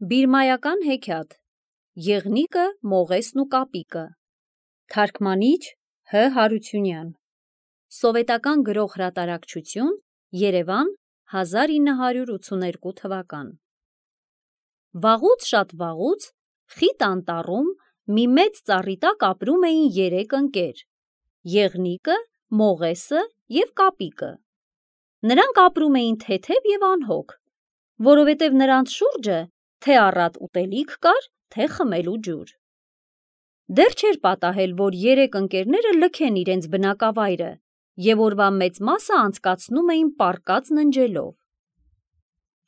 Բիրմայական հեքիաթ Եղնիկը, Մողեսն ու կապիկը Թարգմանիչ Հ. Հարությունյան Սովետական գրող հրատարակչություն Երևան 1982 թվական Վաղուց շատ վաղուց խիտ անտառում մի մեծ ծառի տակ ապրում էին 3 ընկեր Եղնիկը, Մողեսը և կապիկը Նրանք ապրում էին թեթև և անհոգ որովհետև նրանց շուրջը թե առատ ուտելիք կար, թե խմելու ջուր։ Դեռ չէր պատահել, որ 3 ընկերները լքեն իրենց բնակավայրը և օրվա մեծ մասը անցկացնում էին պառկած ննջելով։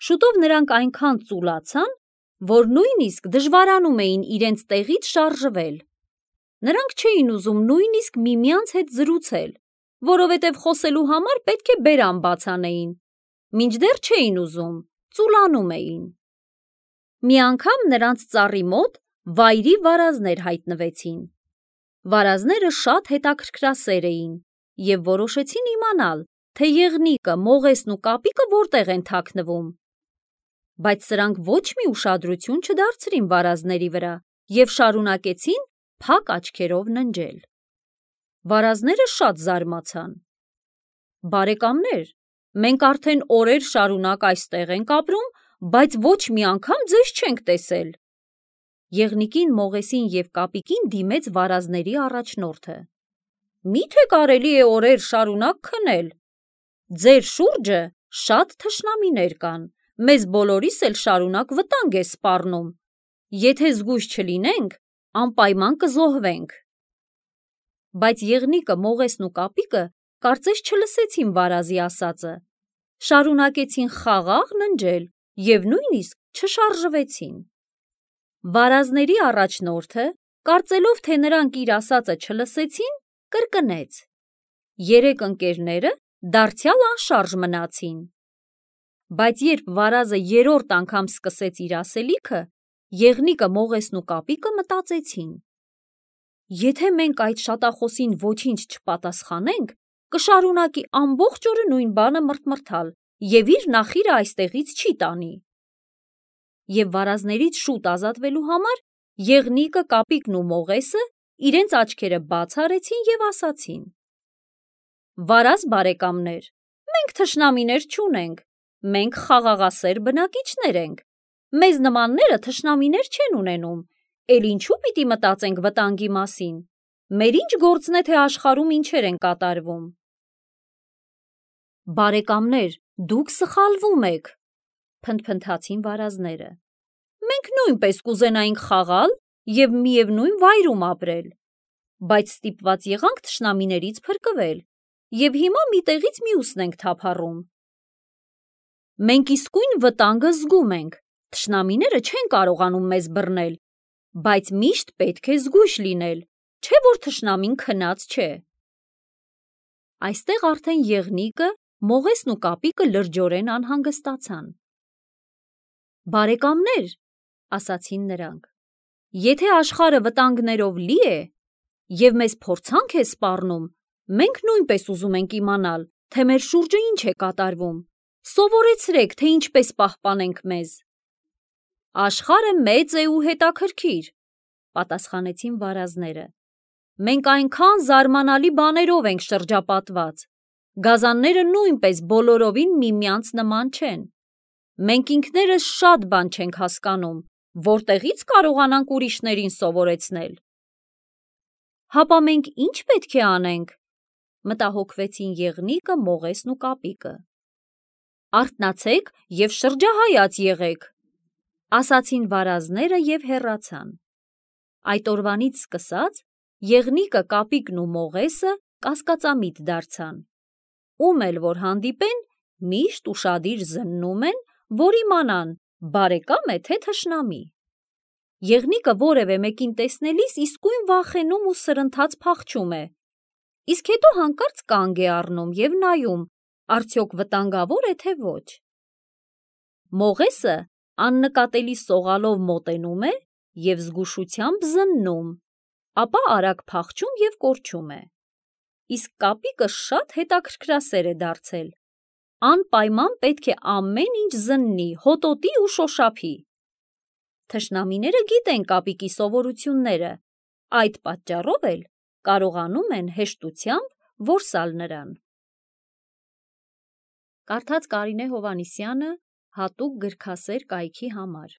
Շուտով նրանք այնքան ծուլացան, որ նույնիսկ դժվարանում էին իրենց տեղից շարժվել։ Նրանք չէին ուզում նույնիսկ միմյանց հետ զրուցել, որովհետև խոսելու համար պետք է բերան բաց անեին, մինչդեռ չէին ուզում, ծուլանում էին։ Մի անգամ նրանց ծառի մոտ վայրի վարազներ հայտնվեցին։ Վարազները շատ հետաքրքրասեր էին և որոշեցին իմանալ, թե Եղնիկը, Մողեսն ու կապիկը որտեղ են թաքնվում։ Բայց սրանք ոչ մի ուշադրություն չդարձրին վարազների վրա և շարունակեցին փակ աչքերով ննջել։ Վարազները շատ զարմացան։ Բարեկամներ, մենք արդեն օրեր շարունակ այստեղ ենք ապրում, բայց ոչ մի անգամ ձեզ չենք տեսել։ Եղնիկին, Մողեսին և կապիկին դիմեց վարազների առաջնորդը։ Մի՞թե կարելի է օրեր շարունակ քնել։ Ձեր շուրջը շատ թշնամիներ կան, մեզ բոլորիս էլ շարունակ վտանգ է սպառնում։ Եթե զգույշ չլինենք, անպայման կզոհվենք։ Բայց Եղնիկը, Մողեսն ու կապիկը կարծես չլսեցին վարազի ասածը։ Շարունակեցին խաղաղ ննջել և նույնիսկ չշարժվեցին։ Վարազների առաջնորդը, կարծելով, թե նրանք իր ասածը չլսեցին, կրկնեց։ 3 ընկերները դարձյալ անշարժ մնացին։ Բայց երբ վարազը 3-րդ անգամ սկսեց իր ասելիքը, Եղնիկը, Մողեսն ու կապիկը մտածեցին. Եթե մենք այդ շատախոսին ոչինչ չպատասխանենք, կշարունակի ամբողջ օրը նույն բանը մրթմրթալ և իր նախիրը այստեղից չի տանի։ Եվ վարազներից շուտ ազատվելու համար Եղնիկը, կապիկն ու Մողեսը իրենց աչքերը բաց արեցին և ասացին. Վարազ բարեկամներ, մենք թշնամիներ չունենք, մենք խաղաղասեր բնակիչներ ենք, մեզ նմանները թշնամիներ չեն ունենում, էլ ինչու պիտի մտածենք վտանգի մասին, մեր ինչ գործն է, թե աշխարհում ինչեր են կատարվում։ Բարեկամներ, դուք սխալվում եք, փնթփնթացին վարազները։ Մենք նույնպես կուզենայինք խաղալ և միևնույն վայրում ապրել, բայց ստիպված եղանք թշնամիներից փրկվել և հիմա մի տեղից մյուսն ենք թափառում։ Մենք իսկույն վտանգը զգում ենք, թշնամիները չեն կարողանում մեզ բռնել, բայց միշտ պետք է զգույշ լինել, չէ՞ որ թշնամին քնած չէ։ Այստեղ արդեն Եղնիկը, Մողեսն ու կապիկը լրջորեն անհանգստացան։ Բարեկամներ, ասացին նրանք, եթե աշխարհը վտանգներով լի է և մեզ փորձանք է սպառնում, մենք նույնպես ուզում ենք իմանալ, թե մեր շուրջը ինչ է կատարվում, սովորեցրեք, թե ինչպես պահպանենք մեզ։ Աշխարհը մեծ է ու հետաքրքիր, պատասխանեցին վարազները։ Մենք այնքան զարմանալի բաներով ենք շրջապատված, գազանները նույնպես բոլորովին միմյանց նման չեն։ Մենք ինքներս շատ բան չենք հասկանում, որտեղից կարողանանք ուրիշներին սովորեցնել։ Հապա մենք ինչ պետք է անենք, մտահոգվեցին Եղնիկը, Մողեսն ու կապիկը։ Արթնացեք և շրջահայաց եղեք, ասացին վարազները և հեռացան։ Այդ օրվանից սկսած Եղնիկը, կապիկն ու Մողեսը կասկածամիտ դարձան։ Ում էլ որ հանդիպեն, միշտ ուշադիր զննում են, որ իմանան բարեկամ է, թե թշնամի։ Եղնիկը որևէ մեկին տեսնելիս իսկույն վախենում ու սրընթաց փախչում է, իսկ հետո հանկարծ կանգ է առնում և նայում, արդյոք վտանգավոր է, թե ոչ։ Մողեսը աննկատելի սողալով մոտենում է և զգուշությամբ զննում, ապա արագ փախչում և կորչում է։ Իսկ կապիկը շատ հետաքրքրասեր է դարձել։ Անպայման պետք է ամեն ինչ զննի, հոտոտի ու շոշափի։ Թշնամիները գիտեն կապիկի սովորությունները, այդ պատճառով էլ կարողանում են հեշտությամբ որսալ նրան։ Կարդաց Կարինե Հովհաննիսյանը հատուկ գրքասեր կայքի համար։